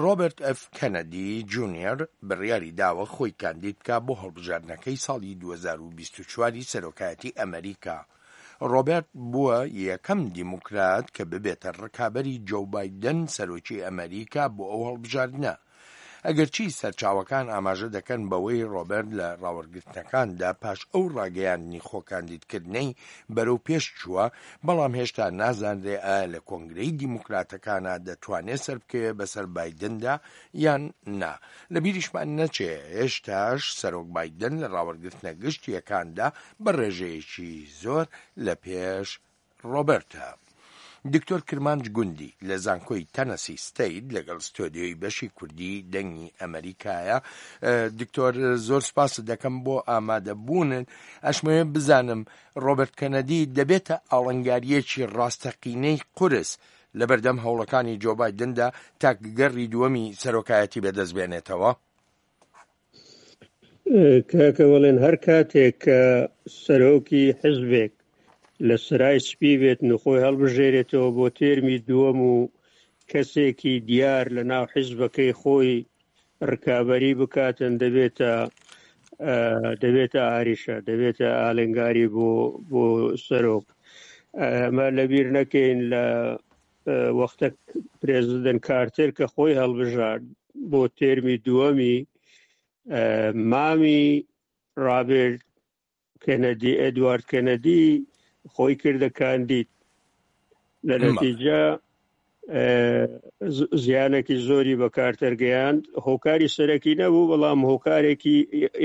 ڕۆبەرت ئێف کەنەدی جونیەر بڕیاری داوە خۆی کاندید بکا بۆ هەڵبژاردنەکەی ساڵی 2024 ی سەرۆکایەتی ئەمەریکا. ڕۆبەرت بووە یەکەم دیموکرات کە ببێتە ڕکابەری جۆو بایدن سەرۆکی ئەمەریکا بۆ ئەو هەڵبژاردنە. ئەگەرچی سەرچاوەکان ئاماژە دەکەن بەوەی ڕۆبەرت لە ڕاوەرگرتنەکاندا پاش ئەو ڕاگەیاندنی خۆکاندیدکردنەی بەرەو پێش چووە، بەڵام هێشتا نازانرێ ئایا لە کۆنگرەی دیموکراتەکانا دەتوانێ سەربکەوێ بەسەر بایدندا یان نا. لە بیریشمان نەچێ هێشتاش سەرۆک بایدن لە ڕاوەرگرتنە گشتییەکاندا بە ڕێژەیەکی زۆر لە پێش ڕۆبەرتە. دکتۆر کرمانج گوندی لە زانکۆی تەنەسی ستەیت لەگەڵ ستۆدیۆی بەشی کوردی دەنگی ئەمەریکایە. دکتۆر زۆر سپاست دەکەم بۆ ئامادەبوونت. ئەشمەوێ بزانم ڕۆبەرت کەنەدی دەبێتە ئاڵنگارییەکی ڕاستەقینەی قورس لەبەردەم هەوڵەکانی جۆ بایدندا تا گەڕی دووەمی سەرۆکایەتی بەدەست بێنێتەوە؟ کاکە بەڵێن هەر کاتێک کە سەرۆکی حزبێک لە سەرای سپی بێتن و خۆی هەڵبژێرێتەوە بۆ تێرمی دووەم و کەسێکی دیار لە ناو حزبەکەی خۆی ڕکابەری بکاتن دەبێتە دەبێتە ئاریشە دەبێتە ئالنگاری بۆ بۆ سەرۆک ئەمە لەبیر نەکەین لە وەختە پرێزیدنت کارتر کە خۆی هەڵبژارد بۆ تێرمی دووەمی مامی ڕابرت کەنەدی ئەدوارد کەنەدی خۆی کردە کاندید لە نەتیجە زیانێکی زۆری بە کارتەر گەیاند هۆکاری سەرەکی نەبوو بەڵام هۆکارێکی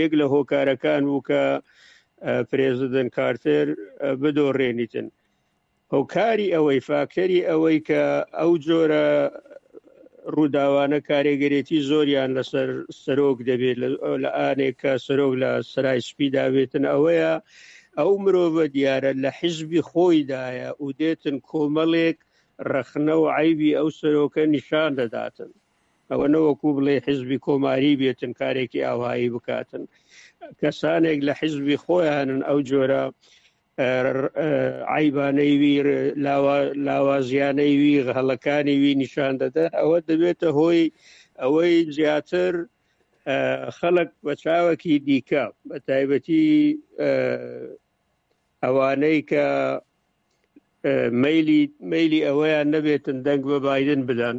یەک لە هۆکارەکان بوو کە پرێزیدنت کارتر بدۆڕێنیتن هۆکاری ئەوەی، فاکتەری ئەوەی کە ئەو جۆرە ڕووداوانە کارێگەرێتی زۆریان لەسەر سەرۆک دەبێت لە ئانێک کە سەرۆک لە سەرای سپیدا بێتن ئەوەیە ئەو مرۆڤە دیارە لە حیزبی خۆیدایە و دێتن کۆمەڵێک ڕەخنە و عەیبی ئەو سەرۆکە نیشان دەداتن. ئەوە نەوەکو بڵێ حیزبی کۆماری بێتن کارێکی ئاوهایی بکاتن کەسانێک لە حیزبی خۆیانن ئەو جۆرە عیبانەی وی لاوازیانەی وی هەڵەکانی وی نیشان دەدەن ئەوە دەبێتە هۆی ئەوەی زیاتر خەڵک بە چاوەکی دیکە بە تایبەتی ئەوانەی کە مەیلی مەیلی ئەوەیان نەبێتن دەنگ بە بایدن بدەن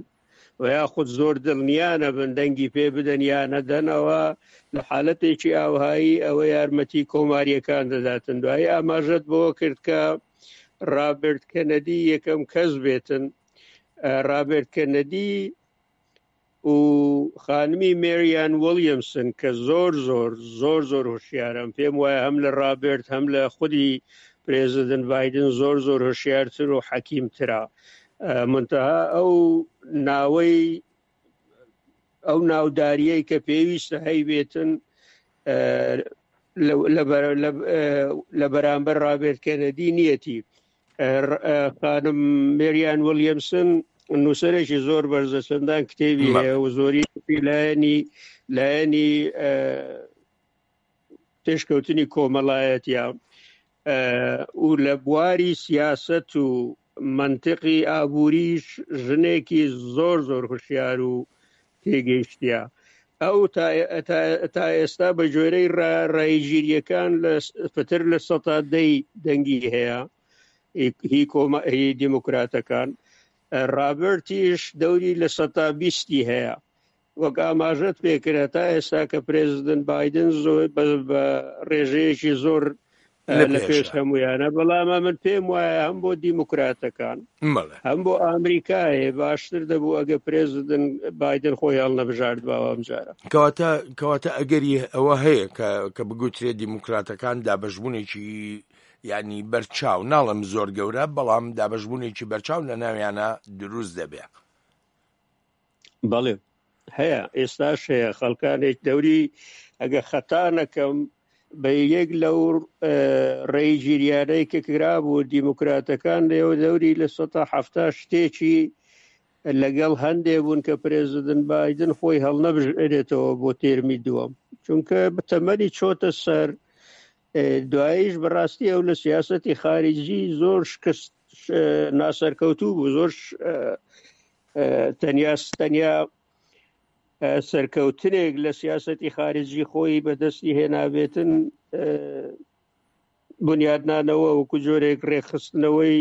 و یاخود زۆر دڵنیا نەبن دەنگی پێ بدەن یا نەدەنەوە لە حالەتێکی ئاوهایی ئەوە یارمەتی کۆماریەکان دەداتن دوایی ئاماژەت بۆ کرد کە ڕابرت کەنەدی یەکەم کەس بێتن ڕابرت کەنەدی و خانمی مێریان وڵیەمسن کە زۆر زۆر زۆر زۆر هۆشیارم پێم وایە هەم لە ڕابرت هەم لە خودی پرێزیدنت بایدن زۆر زۆر هۆشیارتر و حەکیمترە منتەها ئەو ناوەی ئەو ناوداریەی کە پێویستە هەیبێتن لە بەرامبەر ڕابێرت کەنەدی نیەتی خانم مێریان وڵیەمسن نووسەرێکی زۆر بەرزە چەندان کتێبی هەیە و زۆری لایەنی لایەنی پێشکەوتنی کۆمەڵایەتە و لە بواری سیاسەت و مەنتقی ئابووریش ژنێکی زۆر زۆر هوشیار و تێگەیشتە ئەو تا ئێستا بە جۆرەی ڕایگیریەکان لە پتر لە سەتا دەی دەنگی هەیە هی کۆمە هی دیموکراتەکان ڕابرتیش دەوری لە سەتا بیستی هەیە وەک ئاماژەت پێکرا تا ئێستا کە پرێزیدنت بایدن زۆر بە ڕێژەیەکی زۆر لە پێش هەمویانە بەڵام من پێم وایە هەم بۆ دیموکراتەکان هەم بۆ ئەمریکایە باشتر دەبوو ئەگە پرێزیدنت بایدن خۆی هەڵنەبژارد باوە ئەمجارە کەواتە کەواتە ئەگەری ئەوە هەیە کە کە بگوترێت دیموکراتەکان دابەشبوونێکی ینی بەرچاو ناڵم زۆر گەورە بەڵام دابەشبوونێکی بەرچاو لە ناویانە دروست دەبێ. بەڵێ هەیە ئێستاش هەیە خەڵکانێک دەوری ئەگە خەتا نەکەم بە یەک لەو ڕێی گیریانەی کە کرابوو دیموکراتەکان لێوە دەوری لە سەتا حەفتا شتێکی لەگەڵ هەندێ بوون کە پرێزیدنت بایدن خۆی هەڵنەبژێرێتەوە بۆ تێرمی دووەم چونکە تەمەنی چۆتە سەر دواییش بەڕاستی ئەو لە سیاسەتی خارجی زۆر شکست ناسەرکەوتوو بوو زۆر تەنیا تەنیا سەرکەوتنێک لە سیاسەتی خارجی خۆی بەدەستی هێنابێتن بنیادنانەوە وەکو جۆرێک ڕێکخستنەوەی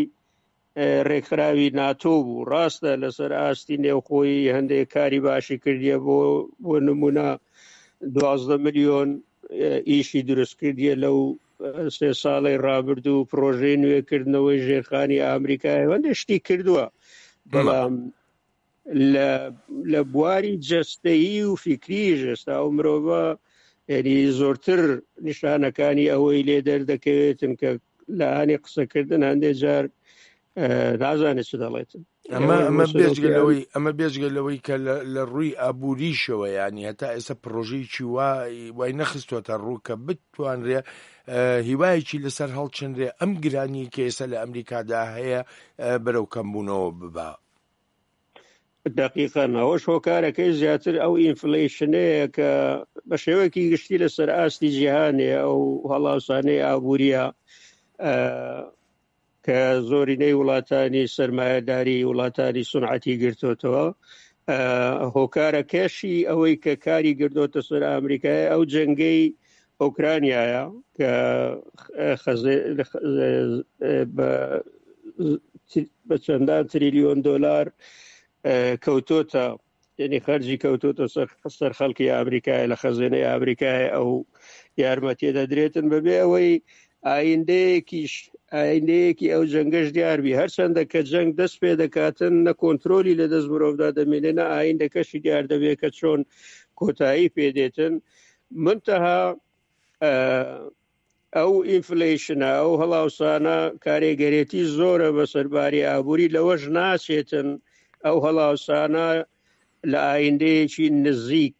ڕێکخراوی ناتۆ بوو ڕاستە لەسەر ئاستی نێوخۆیی هەندێک کاری باشی کردیە بۆ بۆ نمونە دوازدە ملیۆن ئیشی دروست کردیە لەو سێ ساڵی ڕابردوو پرۆژەی نوێکردنەوەی ژێرخانی ئامریکای هەندێک شتی کردووە بەڵام لە لە بواری جەستەیی و فیکریش ئێستا ئەو مرۆڤە یعنی زۆرتر نیشانەکانی ئەوەی لێ دەردەکەوێتن کە لە ئانی قسەکردن هەندێک جار نازانێت چ دەڵێتن ئەمە ئەمە بێجگە لەوەی ئەمە بێجگە لەوەی کە لە ڕووی ئابووریشەوە ینی هەتا ئێستا پرۆژەیەکی وای نەخستۆتە ڕوو کە بتوانرێ هیوایەکی لەسەر هەڵچنرێ ئەم گرانی کە ئێستا لە ئەمریکادا هەیە بەرەو کەمبوونەوە ببا. دەقیقەن ئەوەش هۆکارەکەی زیاتر ئەو ئینفلەیشنەیە کە بە شێوەیەکی گشتی لەسەر ئاستی جیهانێ ئەو هەڵاوسانەی ئابووریە کە زۆرینەی وڵاتانی سەرمایەداری وڵاتانی سونعەتی گرتوتەوە هۆکارەکەشی ئەوەی کە کاری گردۆتە سەر ئەمریکای ئەو جەنگەی ئۆکرانیایە کە بە چەندان تریلیۆن دۆلار کەوتۆتە یعنی خەرجی کەوتۆتە سەر سەر خەڵکی ئامریکای لە خەزێنەی ئامریکای ئەو یارمەتیە دەدرێتن بەبێ ئەوەی ئایندەیەکیش ئایندەیەکی ئەو جەنگەش دیاربی هەرچەندە کە جەنگ دەست پێ دەکاتن نە کۆنتترۆلی لە دەست مرۆڤدا دەمێنێ نە ئایندەکەشی دیار دەبێت کە چۆن کۆتایی پێدێتن منتەها ئەو ئینفلیشنە ئەو هەڵاوسانە کارێگەرێتی زۆرە بە سەرباری ئابووری لەوەش ناچێتن ئەو هەڵاوسانە لە ئایندەیەکی نزیک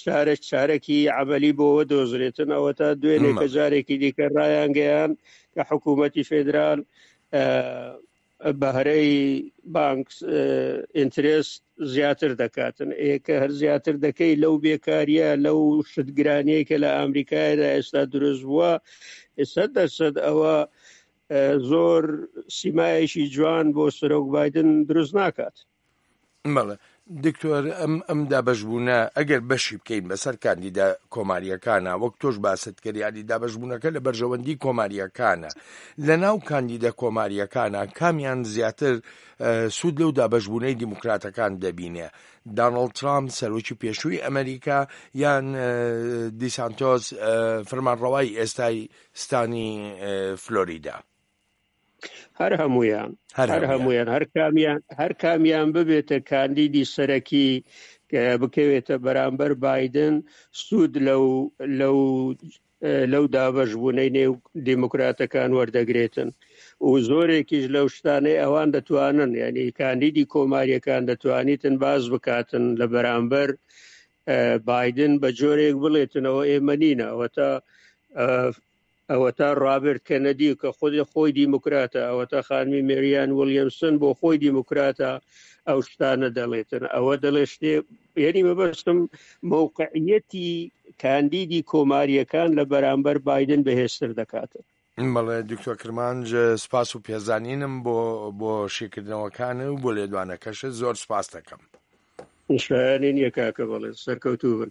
چارە چارەکی عملی بۆوە دۆزرێتن ئەوە تا دوێنێ کە جارێکی دیکە ڕایانگەیان کە حکوومەتی فێدرال بەهرەی بانک ئینترێست زیاتر دەکاتن ئێکە هەر زیاتر دەکەی لەو بێکاریە لەو شتگرانیە کە لە ئەمریکایدا ئێستا دروست بووە ئێستا دەرسەد ئەوە زۆر سیمایەکی جوان بۆ سەرۆک بادن دروست ناکات. بەڵێ دکتۆر ئەم ئەم دابەشبوونە ئەگەر بەشی بکەین بەسەر کاندیدا کۆماریەکانە وەک تۆش باست کرد یانی دابەشبوونەکە لە بەرژەوەندی کۆماریەکانە لە ناو کاندیدە کۆماریەکانە کامیان زیاتر سوود لەو دابەشبوونەی دیموکراتەکان دەبینێ دانڵد ترامپ سەرۆکی پێشووی ئەمریکا یان دیسانتۆس فەرمانڕەوای ئێستای ستانی فلۆریدا هەر هەمویان هەر هەمویان هەر کامیان هەر کامیان ببێتە کاندیدی سەرەکی کە بکەوێتە بەرامبەر بادن سوود لەو لەو لەو دابەش بوونەی نێو دیموکراتەکان وەردەگرێتن و زۆرێکیش لەو شتانەی ئەوان دەتوانن یعنی کاندیدی کۆماریەکان دەتوانیتن باز بکاتن لە بەرامبەر بادن بە جۆرێک بڵێتنەوە ئێمە نینە ئەوەتا ئەوەتا ڕابرت کەنەدی کە خودی خۆی دیموکراتە، ئەوەتا خانمی مێریان وڵیەمسن بۆ خۆی دیموکراتە ئەو شتانە دەڵێتن ئەوە دەڵێ شتێ یعنی مەبەستم مەوقعیەتی کاندیدی کۆماریەکان لە بەرامبەر بایدن بەهێزتر دەکاتن. بەڵێ دکتۆر کرمانج سپاس و پێزانینم بۆ بۆ شیکردنەوەکانت و بۆ لێدوانەکەشت زۆر سپاست دەکەم. شایانی نیە کاکە بەڵێ سەرکەوتوو بن.